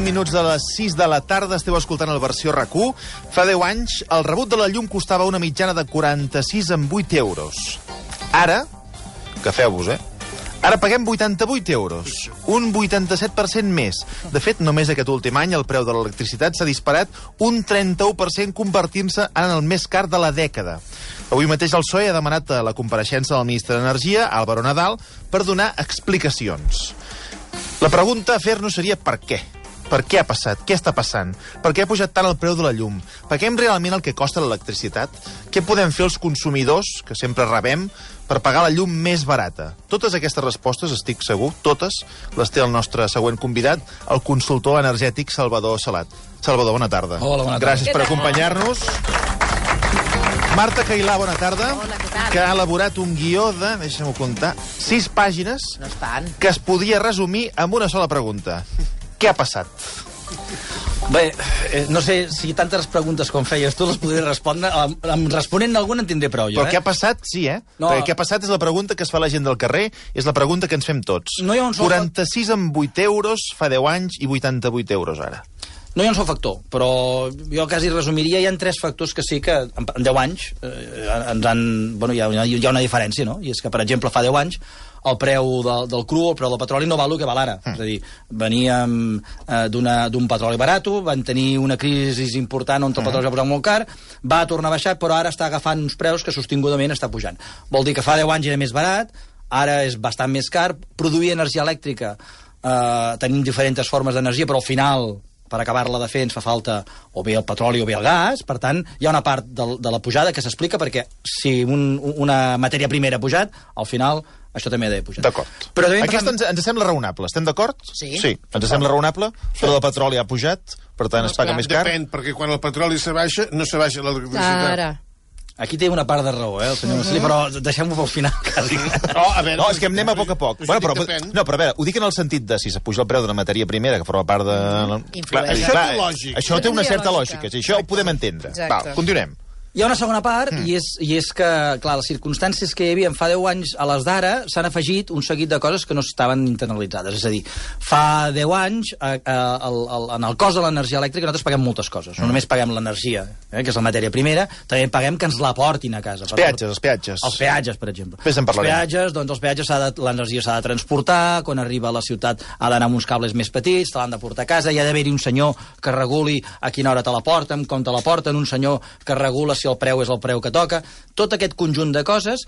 minuts de les 6 de la tarda, esteu escoltant el Versió RAC1. Fa 10 anys, el rebut de la llum costava una mitjana de 46,8 euros. Ara, agafeu-vos, Ara paguem 88 euros, un 87% més. De fet, només aquest últim any el preu de l'electricitat s'ha disparat un 31%, convertint-se en el més car de la dècada. Avui mateix el PSOE ha demanat la compareixença del ministre d'Energia, Álvaro Nadal, per donar explicacions. La pregunta a fer-nos seria per què? Per què ha passat? Què està passant? Per què ha pujat tant el preu de la llum? Paguem realment el que costa l'electricitat? Què podem fer els consumidors, que sempre rebem, per pagar la llum més barata? Totes aquestes respostes, estic segur, totes, les té el nostre següent convidat, el consultor energètic Salvador Salat. Salvador, bona tarda. Hola, bona tarda. Gràcies per acompanyar-nos. Marta Cailà, bona tarda. Hola, què tal? Que ha elaborat un guió de, deixa'm-ho comptar, 6 pàgines No estan. que es podia resumir amb una sola pregunta. Què ha passat? Bé, no sé si tantes preguntes com feies tu les podré respondre. Responent alguna en tindré prou, jo, Però què ha passat, sí, No. Perquè què ha passat és la pregunta que es fa la gent del carrer, és la pregunta que ens fem tots. No hi ha un sol 46,8 euros fa 10 anys i 88 euros ara. No hi ha un sol factor, però jo quasi resumiria, hi ha 3 factors que sí que en 10 anys ens han... Bueno, hi ha una diferència, no? I és que, per exemple, fa 10 anys el preu del cru, el preu del petroli, no val el que val ara. És a dir, veníem d'un petroli barat, van tenir una crisi important on el petroli s'ha posat molt car, va tornar a baixar, però ara està agafant uns preus que sostingudament està pujant. Vol dir que fa 10 anys era més barat, ara és bastant més car, produir energia elèctrica, tenim diferents formes d'energia, però al final, per acabar-la de fer, ens fa falta o bé el petroli o bé el gas. Per tant, hi ha una part de la pujada que s'explica perquè si una matèria primera ha pujat, al final això també ha d'haver pujat. D'acord. Però Aquesta ens sembla raonable. Estem d'acord? Sí. Sí, ens sembla raonable. Però el petroli ha pujat, per tant es paga més car. Depèn, perquè quan el petroli se baixa, no se baixa l'electricitat. Ara. Aquí té una part de raó, el senyor Marcelí, però deixem-ho pel final, quasi. A veure, No, és que anem a poc a poc. Això Però, depèn. no, però a veure, ho dic en el sentit de si s'apuja el preu d'una matèria primera que forma part de... Influeix. Això té lògica. Això té una certa lògica. lògica. Això ho podem entendre. Exacte. Va, continuem. Hi ha una segona part, i és que, clar, les circumstàncies que hi havia fa 10 anys a les d'ara s'han afegit un seguit de coses que no estaven internalitzades. És a dir, fa 10 anys, en el cost de l'energia elèctrica nosaltres paguem moltes coses. No només paguem l'energia, que és la matèria primera, també paguem que ens la portin a casa. Els peatges. Els peatges, per exemple. Després en parlarem. Els peatges, l'energia s'ha de transportar, quan arriba a la ciutat ha d'anar amb uns cables més petits, te l'han de portar a casa, hi ha d'haver-hi un senyor que reguli a quina hora te la porten, com te la porten, un senyor que regula si el preu és el preu que toca. Tot aquest conjunt de coses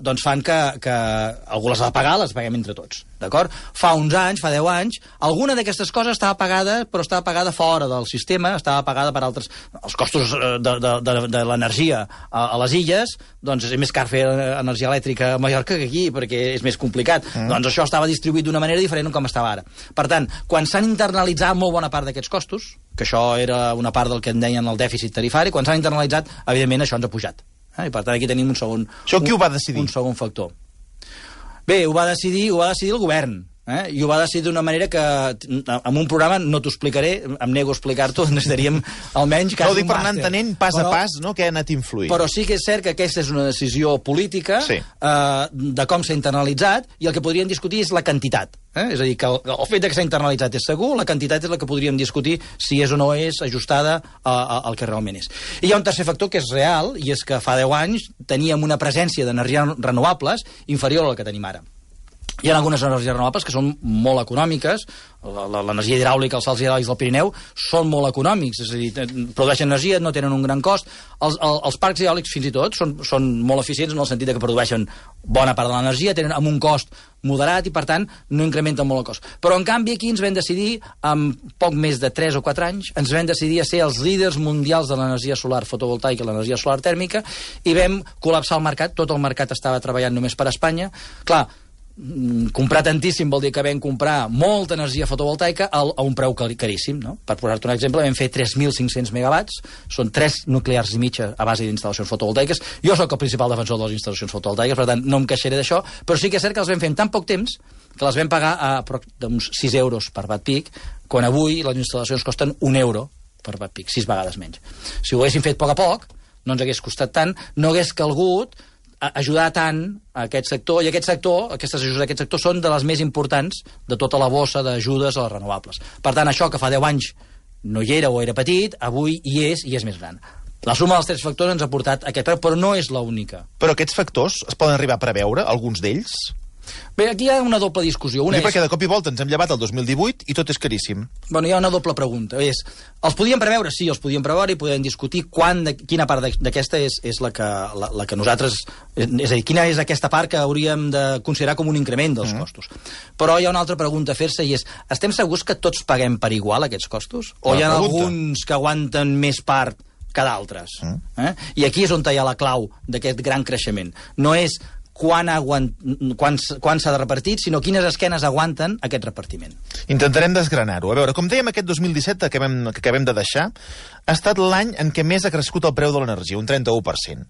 doncs fan que algú les ha de pagar, les paguem entre tots. D'acord? Fa uns anys, fa 10 anys, alguna d'aquestes coses estava pagada, però estava pagada fora del sistema, estava pagada per altres... Els costos de l'energia a les illes, doncs és més car fer energia elèctrica a Mallorca que aquí, perquè és més complicat. Doncs això estava distribuït d'una manera diferent com estava ara. Per tant, quan s'han internalitzat molt bona part d'aquests costos, que això era una part del que en deien el dèficit tarifari, quan s'han internalitzat, evidentment això ens ha pujat. I per tant aquí tenim un segon... Això qui ho va decidir? Un segon factor. Bé, ho va decidir el govern. I ho va decidir d'una manera que en un programa no t'ho explicaré, em nego a explicar-t'ho, necessitaríem almenys No, ho dic per anar entenent pas a pas, no?, què ha anat influint. Però sí que és cert que aquesta és una decisió política de com s'ha internalitzat, i el que podríem discutir és la quantitat. És a dir, que el fet que s'ha internalitzat és segur, la quantitat és la que podríem discutir si és o no és ajustada al que realment és. I hi ha un tercer factor que és real, i és que fa 10 anys teníem una presència d'energies renovables inferior a la que tenim ara. Hi ha algunes energies renovables que són molt econòmiques, l'energia hidràulica, els salts hidràulics del Pirineu són molt econòmics, és a dir, produeixen energia, no tenen un gran cost. Els parcs eòlics fins i tot són molt eficients en el sentit que produeixen bona part de l'energia, tenen amb un cost moderat i per tant no incrementen molt el cost. Però en canvi aquí ens vam decidir, en poc més de 3 o 4 anys, ens vam decidir a ser els líders mundials de l'energia solar fotovoltaica i l'energia solar tèrmica, i vam col·lapsar el mercat, tot el mercat estava treballant només per Espanya. Clar, comprar tantíssim vol dir que vam comprar molta energia fotovoltaica a un preu caríssim, no? Per posar-te un exemple, vam fer 3.500 megawatts, són 3 nuclears i mitja a base d'instal·lacions fotovoltaiques. Jo sóc el principal defensor de les instal·lacions fotovoltaiques, per tant no em queixaré d'això, però sí que és cert que les vam fer en tan poc temps que les vam pagar a uns 6 euros per watt peak, quan avui les instal·lacions costen 1 euro per watt peak, 6 vegades menys. Si ho haguéssim fet a poc, no ens hagués costat tant, no hagués calgut ajudar tant a aquest sector, i aquestes ajudes a aquest sector són de les més importants de tota la bossa d'ajudes a les renovables. Per tant, això que fa 10 anys no hi era o era petit, avui hi és i és més gran. La suma dels 3 factors ens ha portat aquest preu, però no és l'única. Però aquests factors es poden arribar a preveure, alguns d'ells? Bé, aquí hi ha una doble discussió. Una perquè de cop i volta ens hem llevat el 2018 i tot és caríssim. Bueno, hi ha una doble pregunta. Els podíem preveure? Sí, els podíem preveure i podem discutir quina part d'aquesta és la que nosaltres... És a dir, quina és aquesta part que hauríem de considerar com un increment dels costos. Però hi ha una altra pregunta a fer-se i és: estem segurs que tots paguem per igual aquests costos? O hi ha alguns que aguanten més part que d'altres? I aquí és on hi ha la clau d'aquest gran creixement. No és quan s'ha de repartir, sinó quines esquenes aguanten aquest repartiment. Intentarem desgranar-ho. A veure, com dèiem, aquest 2017 que acabem de deixar ha estat l'any en què més ha crescut el preu de l'energia, un 31%.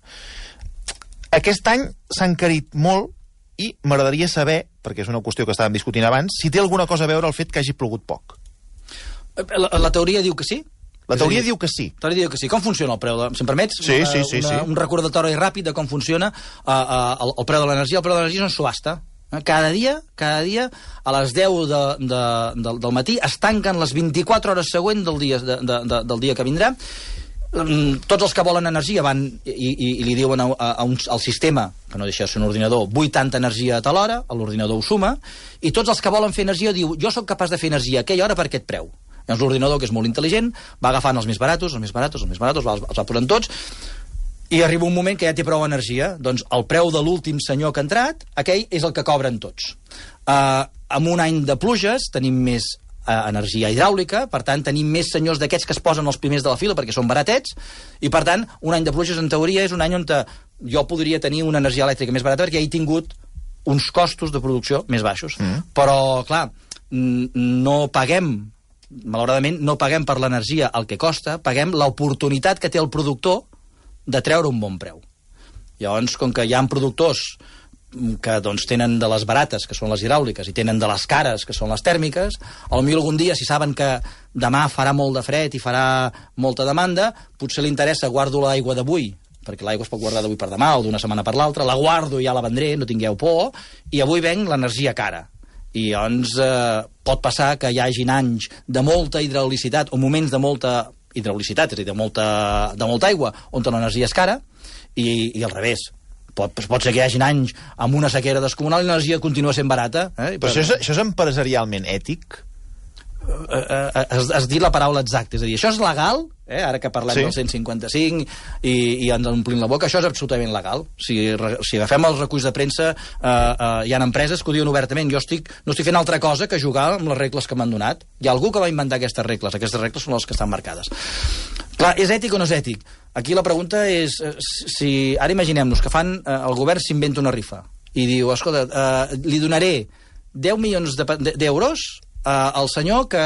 Aquest any s'ha encarit molt i m'agradaria saber, perquè és una qüestió que estàvem discutint abans, si té alguna cosa a veure el fet que hagi plogut poc. La teoria diu que sí. La teoria diu que sí. La teoria diu que sí. Com funciona el preu? Si em permets, sí. Un recordatori ràpid de com funciona el preu de l'energia. El preu de l'energia és una subhasta. Cada dia, a les 10 del matí, es tanquen les 24 hores següents del dia que vindrà. Tots els que volen energia van i li diuen al sistema, que no deixa de ser un ordinador, vull tanta energia a tal hora, l'ordinador ho suma, i tots els que volen fer energia diu: jo sóc capaç de fer energia a aquella hora per aquest preu. Llavors l'ordinador, que és molt intel·ligent, va agafant els més baratos, els va posant tots, i arriba un moment que ja té prou energia. Doncs el preu de l'últim senyor que ha entrat, aquell és el que cobren tots. Amb un any de pluges tenim més energia hidràulica, per tant tenim més senyors d'aquests que es posen els primers de la fila perquè són baratets, i per tant un any de pluges en teoria és un any on jo podria tenir una energia elèctrica més barata perquè he tingut uns costos de producció més baixos. Però clar, malauradament no paguem per l'energia el que costa, paguem l'oportunitat que té el productor de treure un bon preu. Llavors, com que hi ha productors que tenen de les barates, que són les hidràuliques, i tenen de les cares, que són les tèrmiques, potser algun dia, si saben que demà farà molt de fred i farà molta demanda, potser li interessa: guardo l'aigua d'avui, perquè l'aigua es pot guardar d'avui per demà o d'una setmana per l'altra, la guardo i ja la vendré, no tingueu por, i avui venc l'energia cara. I llavors pot passar que hi hagin anys de molta hidraulicitat o moments de molta hidraulicitat, és a dir, de molta aigua, on l'energia és cara, i al revés. Pot ser que hi hagin anys amb una sequera descomunal i l'energia continua sent barata. Però això és empresarialment ètic? Has dit la paraula exacta, és a dir, això és legal, ara que parlem del 155 i ens omplim la boca, això és absolutament legal. Si agafem els reculls de premsa, hi ha empreses que ho diuen obertament: jo no estic fent altra cosa que jugar amb les regles que m'han donat. Hi ha algú que va inventar aquestes regles són les que estan marcades. Clar, és ètic o no és ètic? Aquí la pregunta és, si ara imaginem-nos que el govern s'inventa una rifa i diu: escolta, li donaré 10 milions d'euros al senyor que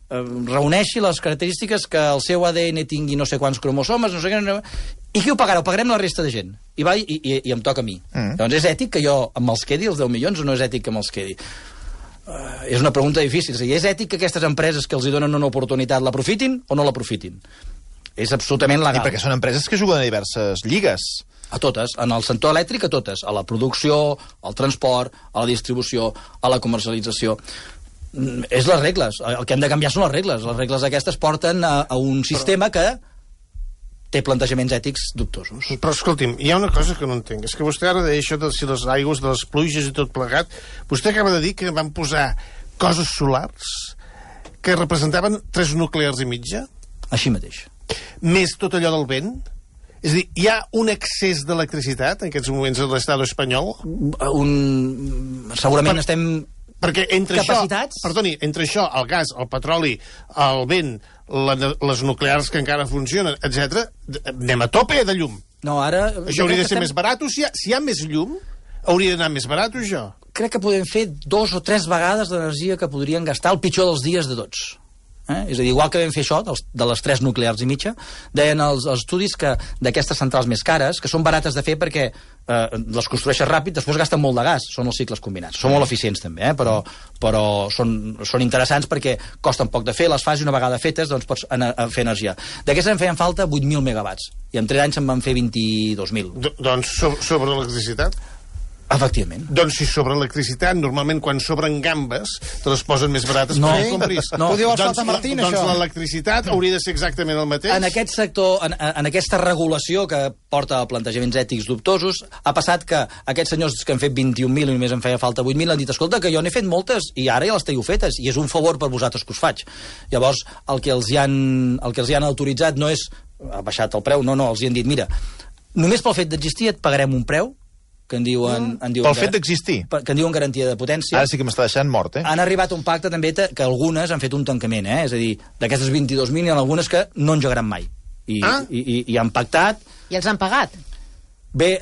reuneixi les característiques que el seu ADN tingui no sé quants cromosomes, no sé què... I qui ho pagarà? Ho pagarem la resta de gent. I em toca a mi. Llavors, és ètic que jo me'ls quedi els 10 milions o no és ètic que me'ls quedi? És una pregunta difícil. És ètic que aquestes empreses que els donen una oportunitat l'aprofitin o no l'aprofitin? És absolutament legal. I perquè són empreses que juguen a diverses lligues. A totes, en el sector elèctric a totes, a la producció, al transport, a la distribució, a la comercialització. És les regles, el que hem de canviar són les regles aquestes porten a un sistema que té plantejaments ètics dubtosos. Però escolti'm, hi ha una cosa que no entenc, és que vostè ara deia això de si les aigües, de les pluges i tot plegat, vostè acaba de dir que van posar coses solars que representaven 3 nuclears i mitja? Així mateix. Més tot allò del vent? És a dir, hi ha un excés d'electricitat en aquests moments a l'estat espanyol? Segurament estem... Perquè entre capacitats... entre això, el gas, el petroli, el vent, les nuclears que encara funcionen, etc, anem a tope de llum. No, ara... Això hauria de ser més barat? Si hi ha més llum, hauria d'anar més barat, això? Crec que podem fer 2 o 3 vegades l'energia que podrien gastar el pitjor dels dies de tots. És a dir, igual que vam fer això, de les 3 nuclears i mitja, deien els estudis que d'aquestes centrals més cares, que són barates de fer perquè les construeixes ràpid, després gasten molt de gas, són els cicles combinats. Són molt eficients també, però són interessants perquè costen poc de fer, les fas i una vegada fetes doncs pots fer energia. D'aquestes en feien falta 8.000 megawatts, i en 3 anys se'n van fer 22.000. Doncs sobre electricitat? Efectivament. Doncs si sobre electricitat, normalment quan sobren gambes, te les posen més barates perquè compris. Ho diu el Salta Martín, això. Doncs l'electricitat hauria de ser exactament el mateix. En aquest sector, en aquesta regulació que porta a plantejaments ètics dubtosos, ha passat que aquests senyors que han fet 21.000 i només en feia falta 8.000 han dit, escolta, que jo n'he fet moltes i ara ja les teniu fetes, i és un favor per vosaltres que us faig. Llavors, el que els hi han autoritzat no és ha baixat el preu, no, els hi han dit, mira, només pel fet d'existir et pagarem un preu que en diuen pel fet d'existir? Que en diuen garantia de potència. Ara sí que m'està deixant mort, Han arribat a un pacte també que algunes han fet un tancament, És a dir, d'aquestes 22.000 hi ha algunes que no engegaran mai. I han pactat... I els han pagat? Bé,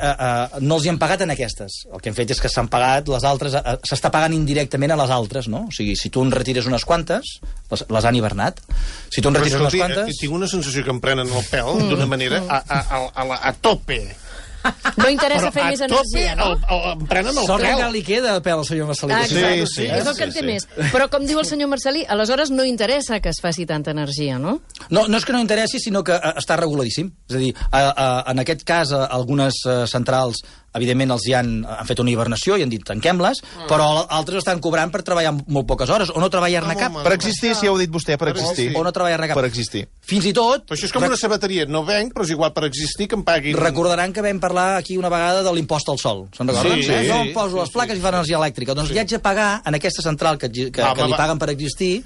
no els hi han pagat en aquestes. El que han fet és que s'han pagat les altres... S'està pagant indirectament a les altres, no? O sigui, si tu en retires unes quantes, les han hivernat. Si tu en retires unes quantes... Tinc una sensació que em prenen el pèl d'una manera a tope. No interessa fer més energia, no? Em prenen el Sort que pèl. encara li queda de pèl al senyor Marcelí. Sí. És el que en té més. Però, com diu el senyor Marcelí, aleshores no interessa que es faci tanta energia, no? No és que no interessi, sinó que està reguladíssim. És a dir, en aquest cas, algunes centrals, evidentment, els hi han fet una hibernació i han dit tanquem-les, però altres estan cobrant per treballar molt poques hores, o no treballar-ne cap. Per existir, si ja ho ha dit vostè, per existir. O no treballar-ne cap. Per existir. Fins i tot... Però això és com una sabateria. No venc, però és igual per existir que em paguin... Recordaran que vam parlar aquí una vegada de l'impost al sol. Se'n recorden? Sí. Jo em poso les plaques i fa energia elèctrica. Doncs li haig de pagar en aquesta central que li paguen per existir.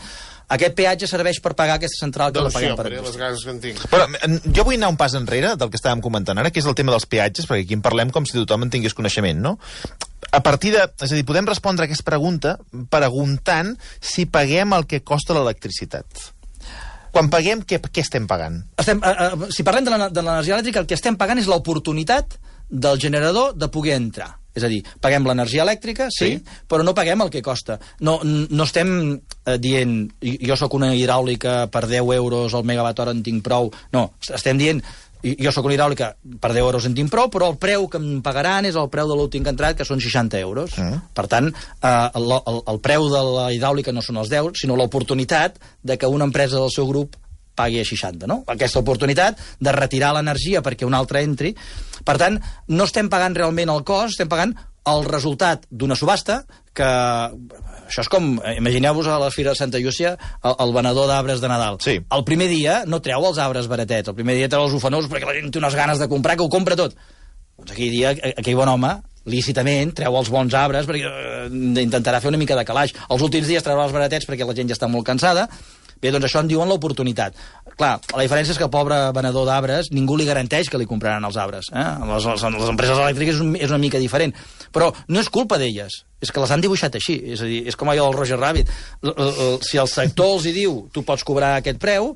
Aquest peatge serveix per pagar aquesta central que la paguem per existir. Les ganes que en tinc. Però jo vull anar un pas enrere del que estàvem comentant ara, que és el tema dels peatges, perquè aquí en parlem com si tothom en tingués coneixement, no? A partir de... És a dir, podem respondre a aquesta pregunta preguntant si paguem el que costa l'electricitat. Quan paguem, què estem pagant? Si parlem de l'energia elèctrica, el que estem pagant és l'oportunitat del generador de poder entrar. És a dir, paguem l'energia elèctrica, sí, però no paguem el que costa. No estem dient, jo sóc una hidràulica, per 10 euros el megawatt hora en tinc prou. No, estem dient, jo sóc una hidràulica, per 10 euros en tinc prou, però el preu que em pagaran és el preu de l'últim que ha entrat, que són 60 euros. Per tant, el preu de la hidràulica no són els 10, sinó l'oportunitat de que una empresa del seu grup pagui a 60, no? Aquesta oportunitat de retirar l'energia perquè un altre entri. Per tant, no estem pagant realment el cost, estem pagant el resultat d'una subhasta que... Això és com, imagineu-vos a la Fira de Santa Llúcia el venedor d'arbres de Nadal. Sí. El primer dia no treu els arbres baratets, el primer dia treu els ufanors perquè la gent té unes ganes de comprar que ho compra tot. Doncs aquell dia, aquell bon home, lícitament, treu els bons arbres perquè intentarà fer una mica de calaix. Els últims dies treurà els baratets perquè la gent ja està molt cansada. Bé, doncs això en diuen l'oportunitat. Clar, la diferència és que el pobre venedor d'arbres ningú li garanteix que li compraran els arbres. Les empreses elèctriques és una mica diferent. Però no és culpa d'elles, és que les han dibuixat així. És a dir, és com allò del Roger Rabbit. Si el sector els hi diu tu pots cobrar aquest preu,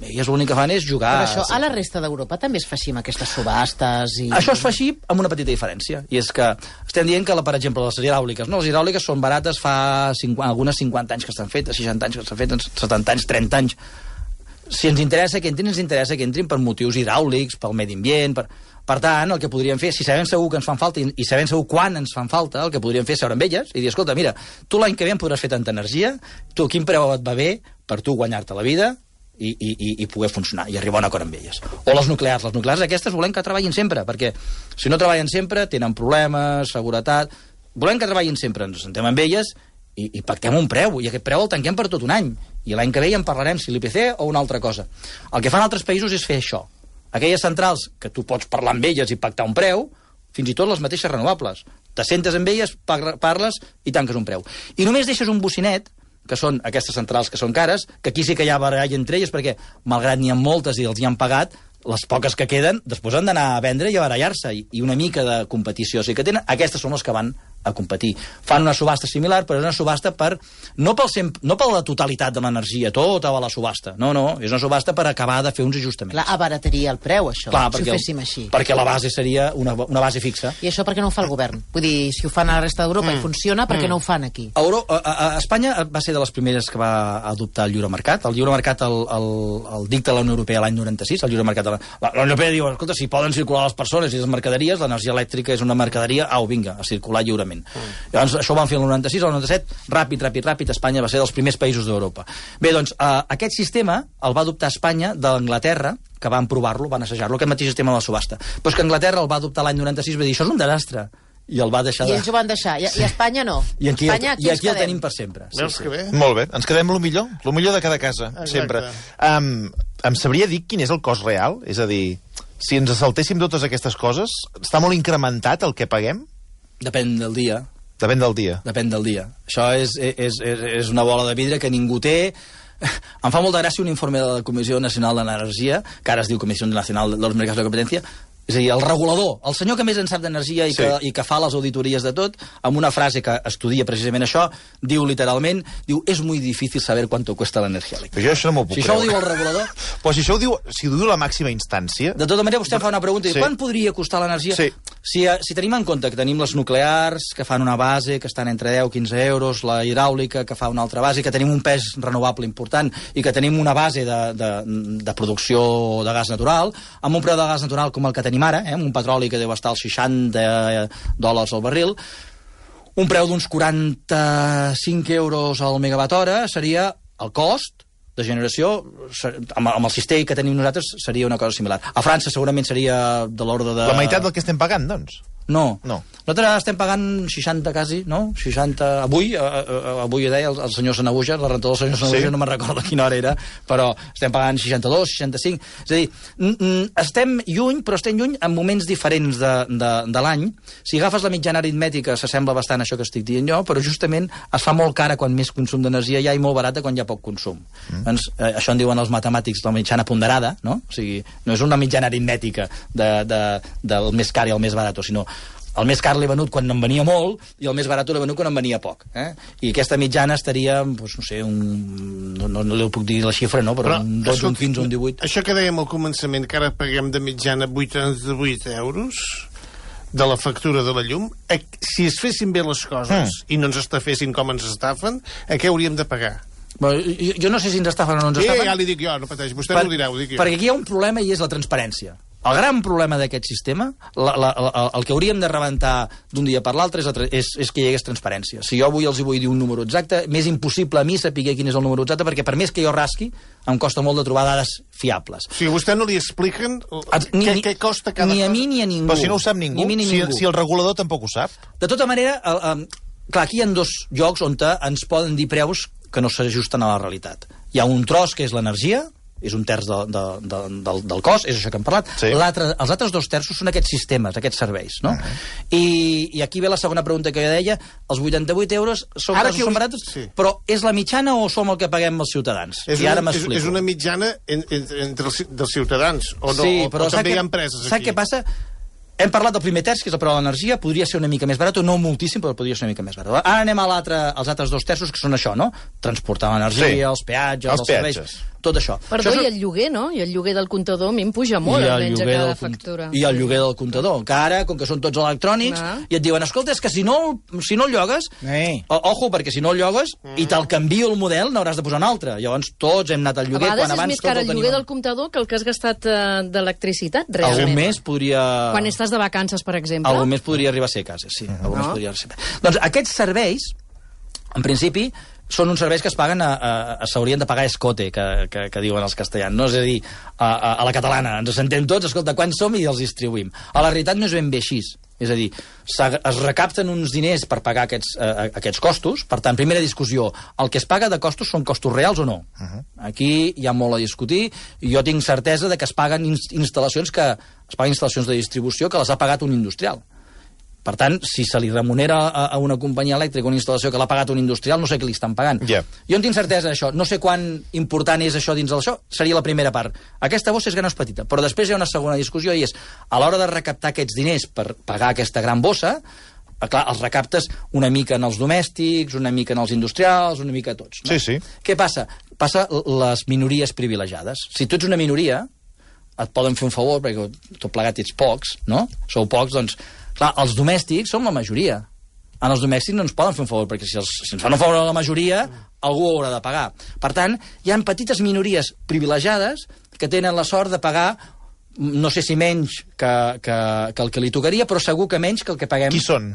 elles l'únic que fan és jugar... Però això a la resta d'Europa també es fa així amb aquestes subhastes i... Això es fa així amb una petita diferència, i és que estem dient que, per exemple, les hidràuliques, no? Les hidràuliques són barates fa algunes 50 anys que estan fetes, 60 anys que estan fetes, 70 anys, 30 anys. Si ens interessa que entrin, ens interessa que entrin per motius hidràulics, pel medi ambient, Per tant, el que podríem fer, si sabem segur que ens fan falta i sabem segur quan ens fan falta, el que podríem fer és seure amb elles i dir, escolta, mira, tu l'any que ve em podràs fer tanta energia, tu quin preu et va bé per tu guanyar-te la vida i poder funcionar i arribar a un acord amb elles. O les nuclears aquestes volem que treballin sempre, perquè si no treballen sempre tenen problemes, seguretat... Volem que treballin sempre, ens sentem amb elles i pactem un preu, i aquest preu el tanquem per tot un any, i l'any que ve ja en parlarem si l'IPC o una altra cosa. El que fan altres països és fer això. Aquelles centrals que tu pots parlar amb elles i pactar un preu, fins i tot les mateixes renovables. T'assentes amb elles, parles i tanques un preu. I només deixes un bocinet, que són aquestes centrals que són cares, que aquí sí que hi ha baralla entre elles, perquè, malgrat n'hi ha moltes i els hi han pagat, les poques que queden, després han d'anar a vendre i a barallar-se, i una mica de competició. O sigui que tenen, aquestes són les que van a competir. Fan una subhasta similar, però és una subhasta no per la totalitat de l'energia, tota la subhasta. No, és una subhasta per acabar de fer uns ajustaments. Clar, abarataria el preu, això, si ho féssim així. Perquè la base seria una base fixa. I això per què no ho fa el govern? Vull dir, si ho fan a la resta d'Europa i funciona, per què no ho fan aquí? A Espanya va ser de les primeres que va adoptar el lliure mercat. El lliure mercat el dicta la Unió Europea l'any 96. El lliure mercat la Unió Europea diu, escolta, si poden circular les persones i les mercaderies, l'energia elèctrica és una mercaderia, vinga, a circular lliurement. Llavors, això ho van fer el 96, el 97, ràpid, Espanya va ser dels primers països d'Europa. Bé, doncs, aquest sistema el va adoptar Espanya d'Anglaterra, que van provar-lo, van assajar-lo, aquest mateix sistema de la subhasta. Però és que Anglaterra el va adoptar l'any 96 i va dir, això és un desastre. I el va deixar I ells ho van deixar, i a Espanya no. I aquí el tenim per sempre. Veus que bé? Molt bé, ens quedem lo millor de cada casa, sempre. Em sabria dir quin és el cost real? És a dir, si ens saltéssim totes aquestes coses, està molt incrementat el que paguem? Depèn del dia. Depèn del dia. Depèn del dia. Això és una bola de vidre que ningú té. Em fa molta gràcia un informe de la Comissió Nacional d'Energia, que ara es diu Comissió Nacional de los Mercados de Competencia, és a dir, el regulador, el senyor que més en sap d'energia i que fa les auditories de tot, amb una frase que estudia precisament això, diu literalment, és muy difícil saber cuánto cuesta l'energia elèctrica. Jo això no m'ho puc creure. Si això ho diu el regulador... Però si ho diu la màxima instància... De tota manera, vostè fa una pregunta, quant podria costar l'energia? Si tenim en compte que tenim les nuclears, que fan una base, que estan entre 10 i 15 euros, la hidràulica, que fa una altra base, que tenim un pes renovable important i que tenim una base de producció de gas natural, amb un preu de gas natural com el que tenim ara, amb un petroli que deu estar als $60 al barril, un preu d'uns 45 euros al megawatt hora seria el cost de generació, amb el cistell que tenim nosaltres, seria una cosa similar. A França segurament seria de l'ordre de... La meitat del que estem pagant, doncs? No. Nosaltres estem pagant 60 quasi, no? 60... Avui deia el senyor Sanabuja, la rentador del senyor Sanabuja, no me'n recordo a quina hora era, però estem pagant 62, 65... És a dir, estem lluny, però estem lluny en moments diferents de l'any. Si agafes la mitjana aritmètica, s'assembla bastant a això que estic dient jo, però justament es fa molt cara quan més consum d'energia hi ha i molt barata quan hi ha poc consum. Doncs, això en diuen els matemàtics la mitjana ponderada, no? O sigui, no és una mitjana aritmètica del més car i el més barat, sinó el més car l'he venut quan en venia molt i el més barat l'he venut quan en venia poc. I aquesta mitjana estaria, doncs, no sé, no li puc dir la xifra, no? Però un 12, un 15, un 18... Això que dèiem al començament, que ara paguem de mitjana 88 euros de la factura de la llum, si es fessin bé les coses i no ens estafessin com ens estafen, a què hauríem de pagar? Jo no sé si ens estafen o no ens estafen. Ja li dic jo, no pateix, vostè no ho dirà, ho dic jo. Perquè aquí hi ha un problema i és la transparència. El gran problema d'aquest sistema, el que hauríem de rebentar d'un dia per l'altre és que hi hagués transparència. Si jo avui els vull dir un número exacte, m'és impossible a mi saber quin és el número exacte, perquè per més que jo rasqui, em costa molt de trobar dades fiables. Si a vostè no li expliquen què costa cada cosa... Ni a mi ni a ningú. Però si no ho sap ningú, si el regulador tampoc ho sap. De tota manera, clar, aquí hi ha dos llocs on ens poden dir preus que no s'ajusten a la realitat. Hi ha un tros que és l'energia, és un terç del cost, és això que hem parlat. Els altres 2 terços són aquests sistemes, aquests serveis, no? I aquí ve la segona pregunta que jo deia, els 88 euros són barats, però és la mitjana o som el que paguem els ciutadans? És una mitjana entre els ciutadans, o no? O també hi ha empreses aquí? Saps què passa? Hem parlat del primer terç, que és el preu de l'energia, podria ser una mica més barat, o no moltíssim, però podria ser una mica més barat. Ara anem als altres 2 terços, que són això, no? Transportar l'energia, els peatges, els serveis, tot això. Perdó, i el lloguer, no? I el lloguer del comptador a mi em puja molt, almenys a cada factura. I el lloguer del comptador, que ara, com que són tots electrònics, i et diuen, escolta, és que si no el llogues, ojo, perquè si no el llogues, i te'l canvio el model, n'hauràs de posar un altre. Llavors tots hem anat al lloguer, quan abans... A vegades és més car el lloguer del comptador que el que has gastat d'electricitat, realment. Algun mes podria... Quan estàs de vacances, per exemple. Algun mes podria arribar a ser a casa, sí. Doncs aquests serveis, en principi, són uns serveis que es paguen s'haurien de pagar escote, que diuen els castellans, no? És a dir, a la catalana, ens sentem tots, escolta, quants som i els distribuïm. A la realitat no és ben bé així. És a dir, es recapten uns diners per pagar aquests costos, per tant, primera discussió, el que es paga de costos són costos reals o no? Aquí hi ha molt a discutir, i jo tinc certesa de que es paguen instal·lacions de distribució que les ha pagat un industrial. Per tant, si se li remunera a una companyia elèctrica una instal·lació que l'ha pagat un industrial, no sé què li estan pagant. Jo en tinc certesa d'això. No sé quan important és això dins d'això. Seria la primera part. Aquesta bossa és gran o és petita. Però després hi ha una segona discussió i és, a l'hora de recaptar aquests diners per pagar aquesta gran bossa, Clar, els recaptes una mica en els domèstics, una mica en els industrials, una mica a tots. No? Sí. Què passa? Passa les minories privilegiades. Si tu ets una minoria, et poden fer un favor, perquè tot plegat ets pocs, no? Sou pocs, doncs... Clar, els domèstics som la majoria. En els domèstics no ens poden fer un favor, perquè si ens fan un favor a la majoria, algú ho haurà de pagar. Per tant, hi ha petites minories privilegiades que tenen la sort de pagar, no sé si menys que el que li tocaria, però segur que menys que el que paguem... Qui són?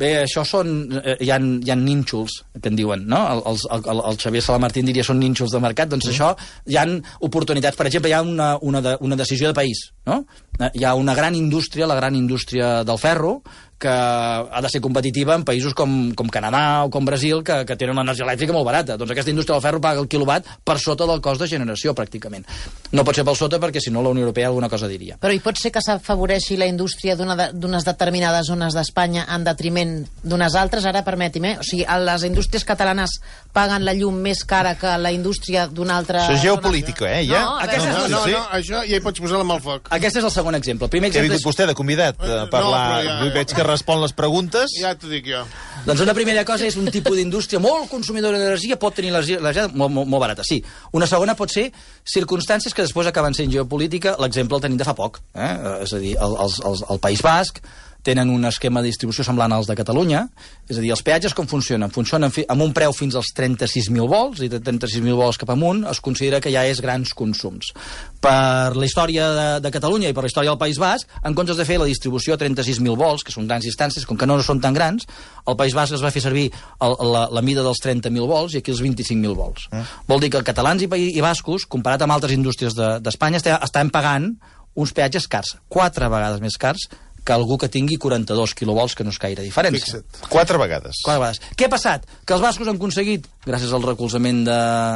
Bé, això són... Hi ha nínxols, que en diuen, no? El Xavier Salamartín diria són nínxols de mercat, doncs això hi ha oportunitats. Per exemple, hi ha una decisió de país, no? Hi ha una gran indústria, la gran indústria del ferro, que ha de ser competitiva en països com Canadà o com Brasil, que tenen una energia elèctrica molt barata. Doncs aquesta indústria del ferro paga el quilowatt per sota del cost de generació, pràcticament. No pot ser per sota, perquè si no la Unió Europea alguna cosa diria. Però hi pot ser que s'afavoreixi la indústria d'unes determinades zones d'Espanya en detriment d'unes altres? Ara, permeti'm, o sigui, les indústries catalanes paguen la llum més cara que la indústria d'una altra... Això és geopolítica, ja? No, això ja hi pots posar la mà al foc. Aquest és el segon exemple. El primer Què ha exemple vingut vostè de convidat a parlar? Veig que respon les preguntes. Ja t'ho dic jo. Doncs una primera cosa és un tipus d'indústria molt consumidora d'energia, pot tenir l'energia molt barata, sí. Una segona pot ser circumstàncies que després acaben sent geopolítica. L'exemple el tenim de fa poc. És a dir, el País Basc tenen un esquema de distribució semblant als de Catalunya. És a dir, els peatges com funcionen? Funcionen amb un preu fins als 36.000 volts, i de 36.000 volts cap amunt es considera que ja és grans consums. Per la història de Catalunya i per la història del País Basc, en comptes de fer la distribució a 36.000 volts, que són grans distàncies, com que no són tan grans, el País Basc es va fer servir la mida dels 30.000 volts i aquí els 25.000 volts. Vol dir que catalans i bascos, comparat amb altres indústries d'Espanya, estan pagant uns peatges cars, 4 vegades més cars que algú que tingui 42 quilovolts, que no és gaire diferència. Fixa't. 4 vegades. Què ha passat? Que els bascos han aconseguit, gràcies al recolzament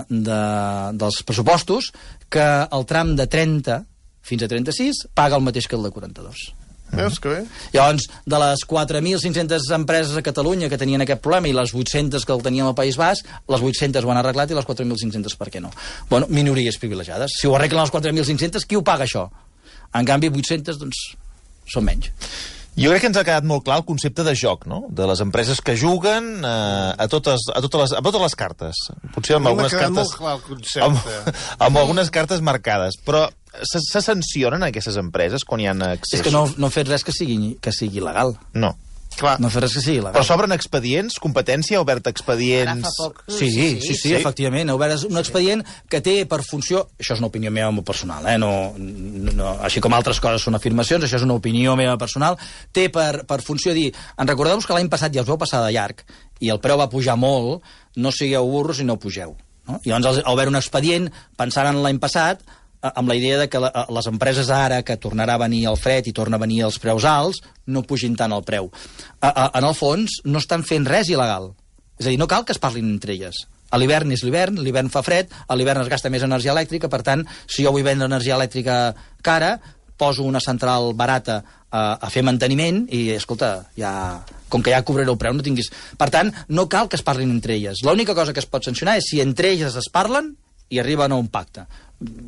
dels pressupostos, que el tram de 30 fins a 36 paga el mateix que el de 42. Veus que bé? Llavors, de les 4.500 empreses a Catalunya que tenien aquest problema i les 800 que el tenien al País Basc, les 800 ho han arreglat i les 4.500 per què no? Bueno, minories privilegiades. Si ho arreglen les 4.500, qui ho paga això? En canvi, 800, doncs, són menys. Jo crec que ens ha quedat molt clar el concepte de joc, no? De les empreses que juguen a totes les cartes. Potser amb algunes cartes... molt clar el concepte. Amb algunes cartes marcades. Però se sancionen aquestes empreses quan hi ha accessos? És que no han fet res que sigui legal. No. Clar. No fer res que sigui legal. Però s'obren expedients? Competència? Ha obert expedients? Ara fa poc. Sí, efectivament. Ha obert un expedient que té per funció... Això és una opinió meva molt personal, no, així com altres coses són afirmacions, això és una opinió meva personal. Té per funció dir... En recordeu-vos que l'any passat ja us vau passar de llarg i el preu va pujar molt, no sigueu burros i no pugeu. No? I llavors ha obert un expedient pensant en l'any passat amb la idea de que les empreses ara, que tornarà a venir el fred i torna a venir els preus alts, no pugin tant el preu. En el fons, no estan fent res il·legal. És a dir, no cal que es parlin entre elles. A l'hivern és l'hivern fa fred, a l'hivern es gasta més energia elèctrica, per tant, si jo vull vendre energia elèctrica cara, poso una central barata a fer manteniment i, escolta, com que ja cobraré el preu, no tinguis... Per tant, no cal que es parlin entre elles. L'única cosa que es pot sancionar és si entre elles es parlen i arriben a un pacte.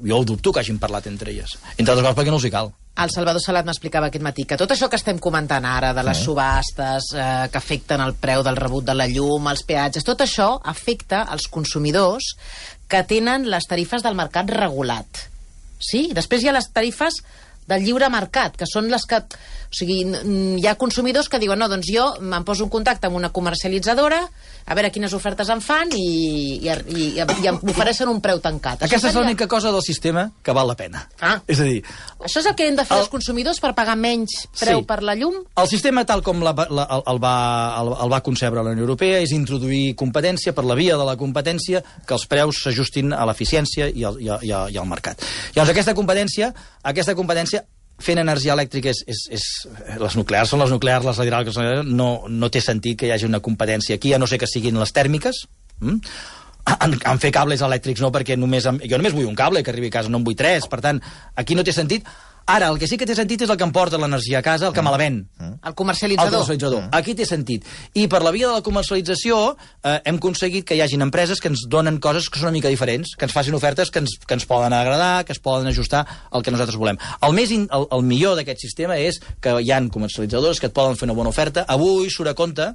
Jo ho dubto que hagin parlat entre elles. Entre altres coses perquè no els hi cal. El Salvador Salat m'explicava aquest matí que tot això que estem comentant ara, de les subhastes que afecten el preu del rebut de la llum, els peatges, tot això afecta els consumidors que tenen les tarifes del mercat regulat. Sí? Després hi ha les tarifes del lliure mercat, que són les que... O sigui, hi ha consumidors que diuen, no, doncs jo em poso en contacte amb una comercialitzadora, a veure quines ofertes em fan i em ofereixen un preu tancat. Aquesta és l'única cosa del sistema que val la pena. És a dir... Això és el que hem de fer els consumidors per pagar menys preu per la llum? El sistema, tal com el va concebre la Unió Europea, és introduir competència per la via de la competència, que els preus s'ajustin a l'eficiència i al mercat. Llavors, aquesta competència fent energia elèctrica les nuclears són les nuclears, les hidràuliques no té sentit que hi hagi una competència aquí, a no ser que siguin les tèrmiques. En fer cables elèctrics no, perquè jo només vull un cable que arribi a casa, no en vull 3, per tant, aquí no té sentit. Ara, el que sí que té sentit és el que em porta l'energia a casa, el que me la ven. El comercialitzador. Aquí té sentit. I per la via de la comercialització hem aconseguit que hi hagin empreses que ens donen coses que són una mica diferents, que ens facin ofertes que ens poden agradar, que es poden ajustar al que nosaltres volem. El millor d'aquest sistema és que hi ha comercialitzadors que et poden fer una bona oferta. Avui surt a compte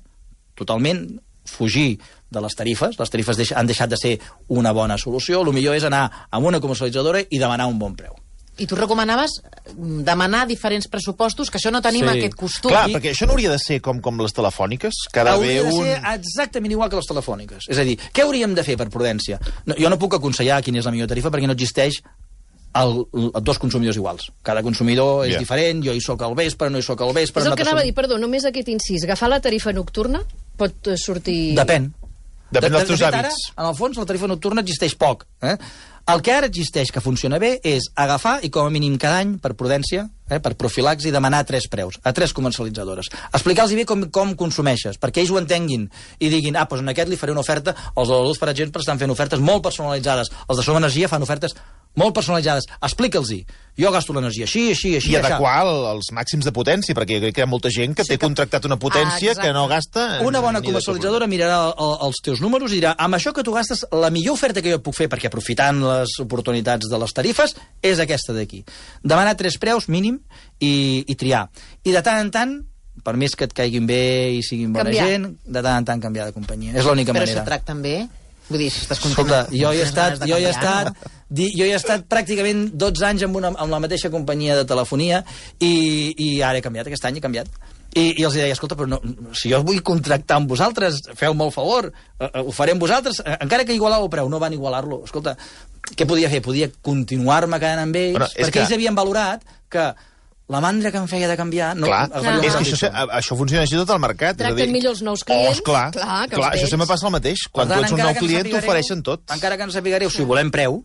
totalment fugir de les tarifes. Les tarifes han deixat de ser una bona solució. El millor és anar a una comercialitzadora i demanar un bon preu. I tu recomanaves demanar diferents pressupostos, que això no tenim aquest costum. Clar, perquè això no hauria de ser com les telefòniques, que hauria de ser exactament igual que les telefòniques. És a dir, què hauríem de fer per prudència? Jo no puc aconsellar quina és la millor tarifa perquè no existeix dos consumidors iguals. Cada consumidor és diferent, jo hi soc al vespre, no hi soc al vespre... És el que anava a dir, perdó, només aquest incís. Agafar la tarifa nocturna pot sortir... Depèn. Depèn dels teus hàbits. Ara, en el fons, la tarifa nocturna existeix poc. El que ara existeix que funciona bé és agafar i com a mínim cada any, per prudència, per profilaxi, demanar 3 preus a 3 comercialitzadores. Explicar-los bé com consumeixes, perquè ells ho entenguin i diguin, doncs en aquest li faré una oferta. Els de la Luz, per exemple, estan fent ofertes molt personalitzades. Els de Som Energia fan ofertes molt personalitzades. Explica'ls-hi. Jo gasto l'energia així. I adequar els màxims de potència, perquè jo crec que hi ha molta gent que té contractat una potència que no gasta... Una bona comercialitzadora mirarà els teus números i dirà, amb això que tu gastes, la millor oferta que jo et puc fer, perquè aprofitant les oportunitats de les tarifes, és aquesta d'aquí. Demanar 3 preus mínim i triar. I de tant en tant, per més que et caiguin bé i siguin bona gent, de tant en tant canviar de companyia. És l'única manera. Però se tracten bé? Vull dir, si estàs content... Escolta, jo he estat pràcticament 12 anys amb la mateixa companyia de telefonia i ara he canviat, aquest any he canviat. I els deia, escolta, però no, si jo vull contractar amb vosaltres, feu-me el favor, ho faré amb vosaltres, encara que igualar el preu, no van igualar-lo. Escolta, què podia fer? Podia continuar-me quedant amb ells, perquè ells havien valorat que la mandra que em feia de canviar... És que això funciona així tot el mercat. Tracten millor els nous clients. Clar, això sempre passa el mateix. Quan tu ets un nou client, t'ofereixen tot. Encara que no sapigueu, si volem preu,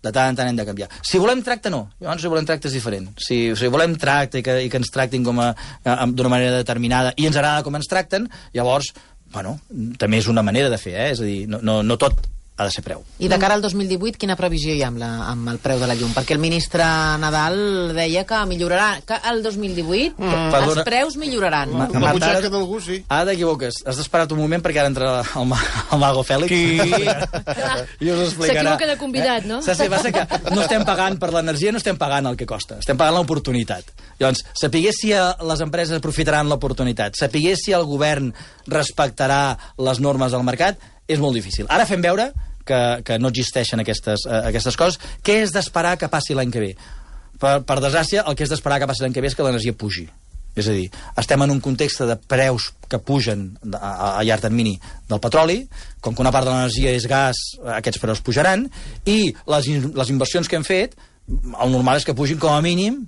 de tant en tant hem de canviar. Si volem tracte, no. Llavors, si volem tracte és diferent. Si volem tracte i que ens tractin d'una manera determinada i ens agrada com ens tracten, llavors, també és una manera de fer, és a dir, no tot ha de ser preu. I de cara al 2018, quina previsió hi ha amb el preu de la llum? Perquè el ministre Nadal deia que millorarà, que el 2018 els preus milloraran. La butxaca d'algú, sí. Ara t'equivoques. Has d'esperar un moment perquè ara entra el Mago Fèlix. I us explicarà. S'equivoca de convidat, no? Va ser que no estem pagant per l'energia, no estem pagant el que costa. Estem pagant l'oportunitat. Llavors, sapigués si les empreses aprofitaran l'oportunitat, sapigués si el govern respectarà les normes del mercat, és molt difícil. Ara fem veure que no existeixen aquestes coses. Què és d'esperar que passi l'any que ve? Per desgràcia, el que és d'esperar que passi l'any que ve és que l'energia pugi. És a dir, estem en un context de preus que pugen a llarg termini del petroli, com que una part de l'energia és gas, aquests preus pujaran, i les inversions que hem fet, el normal és que pugin com a mínim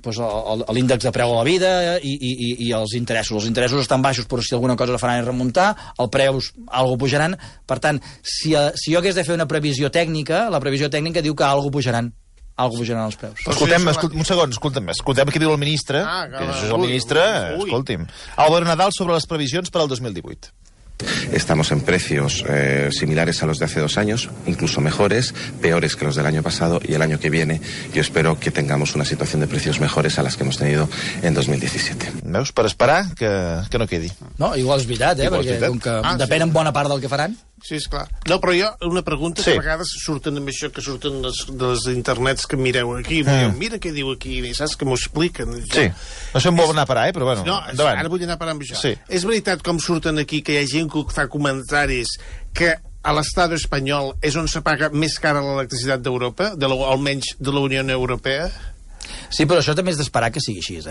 l'índex de preu a la vida i els interessos. Els interessos estan baixos, però si alguna cosa la faran és remuntar, els preus algo pujaran. Per tant, si jo hagués de fer una previsió tècnica, la previsió tècnica diu que algo pujaran els preus. Un segon, escoltem què diu el ministre, que això és el ministre, escolti'm. Álvaro Nadal sobre les previsions per al 2018. Estamos en precios similares a los de hace 2 años, incluso mejores, peores que los del año pasado, y el año que viene yo espero que tengamos una situación de precios mejores a las que hemos tenido en 2017. Veus? Per esperar que no quedi. No, igual és veritat, perquè com que depèn en bona part del que faran. Sí, esclar. No, però jo, una pregunta que a vegades surten amb això, que surten de les internets que mireu aquí, mira què diu aquí, saps que m'ho expliquen. Sí, no sé on vol anar a parar, però bueno, endavant. Ara vull anar a parar amb això. Sí. És veritat, com surten aquí, que hi ha gent que fa comentaris que a l'Estat espanyol és on se paga més cara l'electricitat d'Europa, almenys de la Unió Europea? Sí, però això també és d'esperar que sigui així,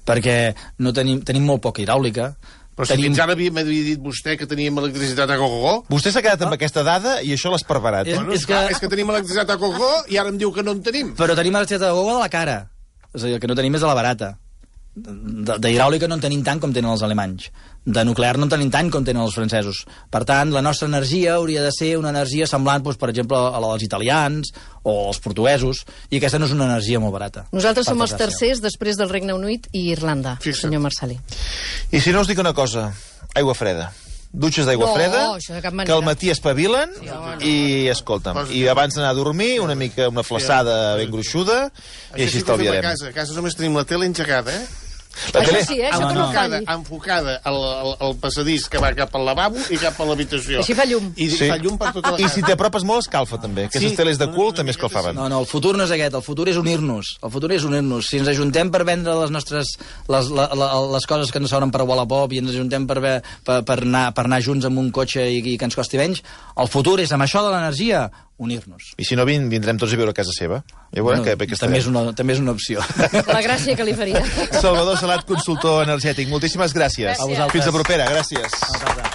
perquè no tenim molt poca hidràulica. Però si fins ara m'havia dit vostè que teníem electricitat a gogo. Vostè s'ha quedat amb aquesta dada i això l'ha esparverat. És que tenim electricitat a gogo i ara em diu que no en tenim. Però tenim electricitat a gogo de la cara. És a dir, el que no tenim és de la barata. D'hidràulica no en tenim tant com tenen els alemanys. De nuclear no en tenim tant com tenen els francesos. Per tant, la nostra energia hauria de ser una energia semblant, per exemple, a la dels italians o als portuguesos, i aquesta no és una energia molt barata. Nosaltres som els tercers després del Regne Unit i Irlanda, senyor Marcel·lí. I si no us dic una cosa, aigua freda. dutxes d'aigua freda, això de cap manera. que al matí espavilen i, escolta'm, i abans d'anar a dormir, una flaçada ben gruixuda, i així estalviarem. A casa només tenim la tele engegada, La tele... Això sí, això que no falli. Enfocada al passadís que va cap al lavabo i cap a l'habitació. Així fa llum. I fa llum per tota la casa. I si t'apropes molt, escalfa, també. Aquestes teles de cul també escalfaven. No, el futur no és aquest, el futur és unir-nos. El futur és unir-nos. Si ens ajuntem per vendre les nostres... les coses que ens sobren per Wallapop i ens ajuntem per anar junts amb un cotxe i que ens costi menys, el futur és, amb això de l'energia, unir-nos. I si no vindrem tots a viure a casa seva. Ja veurem que també és una opció. La gràcia que li faria. Salvador Salat, consultor energètic. Moltíssimes gràcies. A vosaltres. Fins la propera. Gràcies.